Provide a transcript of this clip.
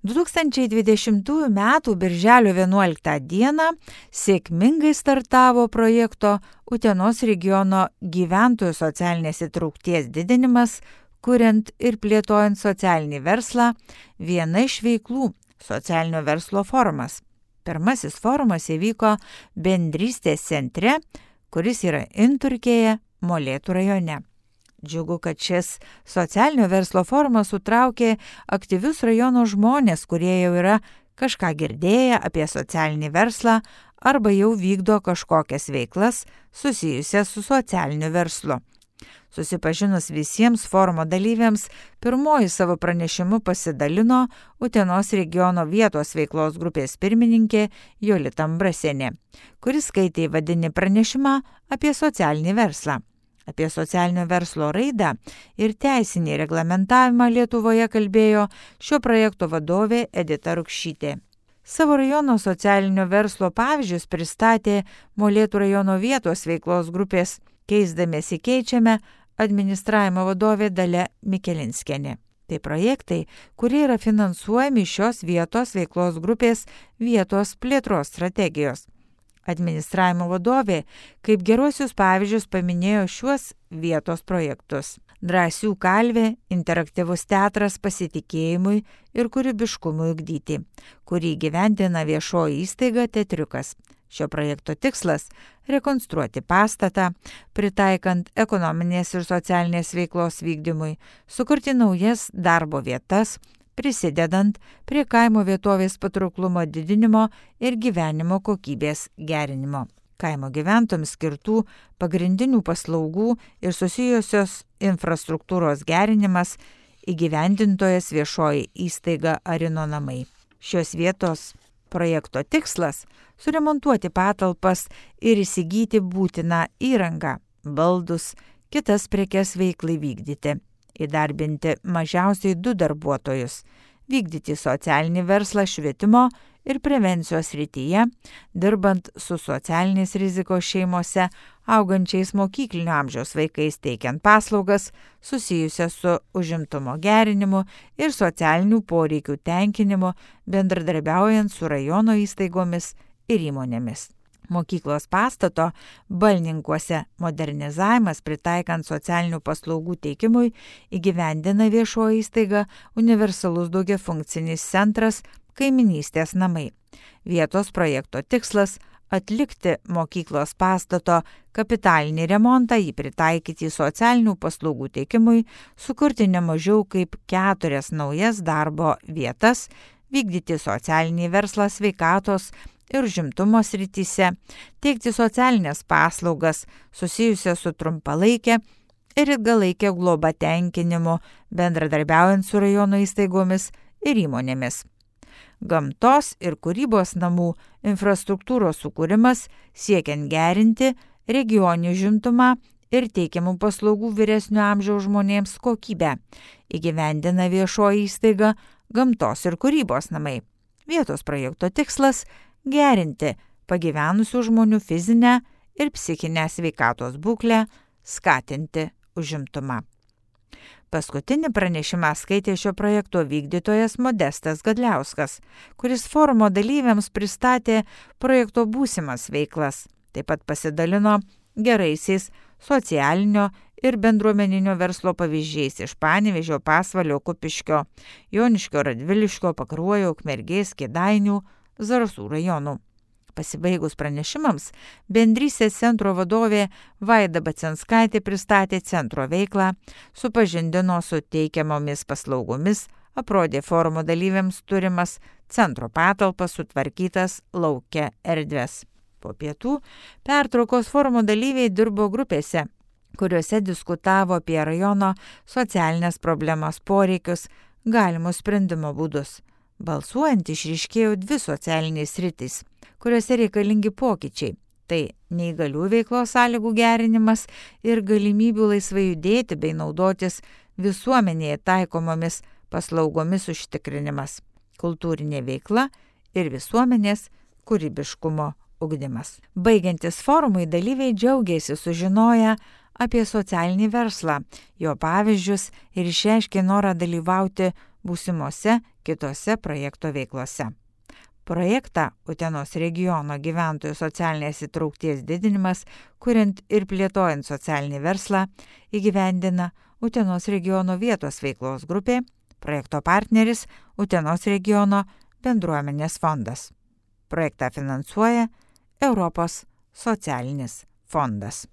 2020 m. birželio 11 d. sėkmingai startavo projekto Utenos regiono gyventojų socialinės įtraukties didinimas, kuriant ir plėtojant socialinį verslą, viena iš veiklų socialinio verslo forumas. Pirmasis forumas įvyko Bendrystės centre, kuris yra Inturkėje, Molėtų rajone. Džiugu, kad šis socialinio verslo forumas sutraukė aktyvius rajono žmonės, kurie jau yra kažką girdėję apie socialinį verslą arba jau vykdo kažkokias veiklas susijusias su socialiniu verslu. Susipažinus visiems forumo dalyviams, pirmoji savo pranešimu pasidalino Utenos regiono vietos veiklos grupės pirmininkė Jolita Ambrasienė, kuris skaitė įvadinį pranešimą apie socialinį verslą. Apie socialinio verslo raidą ir teisinį reglamentavimą Lietuvoje kalbėjo šio projekto vadovė Edita Rukšytė. Savo rajono socialinio verslo pavyzdžius pristatė Molėtų rajono vietos veiklos grupės Keisdamiesi keičiame administravimo vadovė Dalia Mikelinskienė. Tai projektai, kurie yra finansuojami šios vietos veiklos grupės vietos plėtros strategijos. Administravimo vadovė kaip geruosius pavyzdžius paminėjo šiuos vietos projektus. Drąsių kalvė, interaktyvus teatras pasitikėjimui ir kūrybiškumui ugdyti, kurį gyvendina viešoji įstaiga Teatriukas. Šio projekto tikslas – rekonstruoti pastatą, pritaikant ekonominės ir socialinės veiklos vykdymui, sukurti naujas darbo vietas, prisidedant prie kaimo vietovės patrauklumo didinimo ir gyvenimo kokybės gerinimo. Kaimo gyventojams skirtų pagrindinių paslaugų ir susijusios infrastruktūros gerinimas įgyvendintojas viešoji įstaiga Arino namai. Šios vietos projekto tikslas – suremontuoti patalpas ir įsigyti būtiną įrangą, baldus, kitas prekes veiklai vykdyti. Įdarbinti mažiausiai 2 darbuotojus, vykdyti socialinį verslą švietimo ir prevencijos srityje, dirbant su socialinės rizikos šeimose, augančiais mokyklinio amžiaus vaikais teikiant paslaugas susijusias su užimtumo gerinimu ir socialinių poreikių tenkinimu, bendradarbiaujant su rajono įstaigomis ir įmonėmis. Mokyklos pastato Balninkuose modernizavimas pritaikant socialinių paslaugų teikimui įgyvendina viešoji įstaiga Universalus daugiafunkcinis centras Kaiminystės namai. Vietos projekto tikslas – atlikti mokyklos pastato kapitalinį remontą, jį pritaikyti socialinių paslaugų teikimui, sukurti ne mažiau kaip 4 naujas darbo vietas, vykdyti socialinį verslą sveikatos ir užimtumo srityse, teikti socialinės paslaugas susijusias su trumpalaikė ir ilgalaikė globa tenkinimu, bendradarbiaujant su rajono įstaigomis ir įmonėmis. Gamtos ir kūrybos namų infrastruktūros sukūrimas siekiant gerinti regioninį užimtumą ir teikiamų paslaugų vyresnio amžiaus žmonėms kokybę, įgyvendina viešoji įstaiga Gamtos ir kūrybos namai. Vietos projekto tikslas – gerinti pagyvenusių žmonių fizinę ir psichinę sveikatos būklę, skatinti užimtumą. Paskutinį pranešimą skaitė šio projekto vykdytojas Modestas Gadliauskas, kuris forumo dalyviams pristatė projekto būsimas veiklas. Taip pat pasidalino geraisiais socialinio ir bendruomeninio verslo pavyzdžiais iš Panevėžio, Pasvalio, Kupiškio, Joniškio, Radviliškio, Pakruojo, Ukmergės, Kėdainių, Zarasų rajonų. Pasibaigus pranešimams, Bendrystės centro vadovė Vaida Bacenskaitė pristatė centro veiklą, supažindino su teikiamomis paslaugomis, aprodė forumo dalyviams turimas centro patalpas, sutvarkytas lauke erdves. Po pietų pertraukos forumo dalyviai dirbo grupėse, kuriuose diskutavo apie rajono socialinės problemos poreikius, galimus sprendimo būdus. Balsuojant išryškėjo 2 socialinės sritys, kuriuose reikalingi pokyčiai. Tai neįgalių veiklos sąlygų gerinimas ir galimybių laisvai judėti bei naudotis visuomenėje taikomomis paslaugomis užtikrinimas, kultūrinė veikla ir visuomenės kūrybiškumo ugdymas. Baigiantis forumui, dalyviai džiaugėsi sužinoję apie socialinį verslą, jo pavyzdžius ir išreiškė norą dalyvauti būsimose kitose projekto veiklose. Projektą Utenos regiono gyventojų socialinės įtraukties didinimas, kuriant ir plėtojant socialinį verslą, įgyvendina Utenos regiono vietos veiklos grupė, projekto partneris Utenos regiono bendruomenės fondas. Projektą finansuoja Europos socialinis fondas.